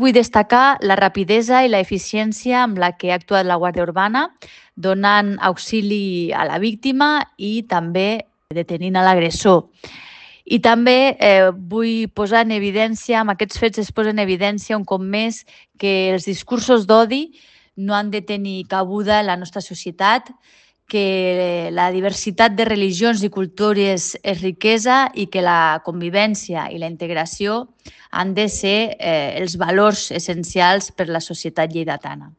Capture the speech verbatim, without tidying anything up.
Vull destacar la rapidesa i l'eficiència amb la que ha actuat la Guàrdia Urbana, donant auxili a la víctima i també detenint a l'agressor. I també eh, vull posar en evidència, amb aquests fets es posa en evidència un cop més que els discursos d'odi no han de tenir cabuda en la nostra societat, que la diversitat de religions i cultures és riquesa i que la convivència i la integració han de ser eh, els valors essencials per a la societat lleidatana.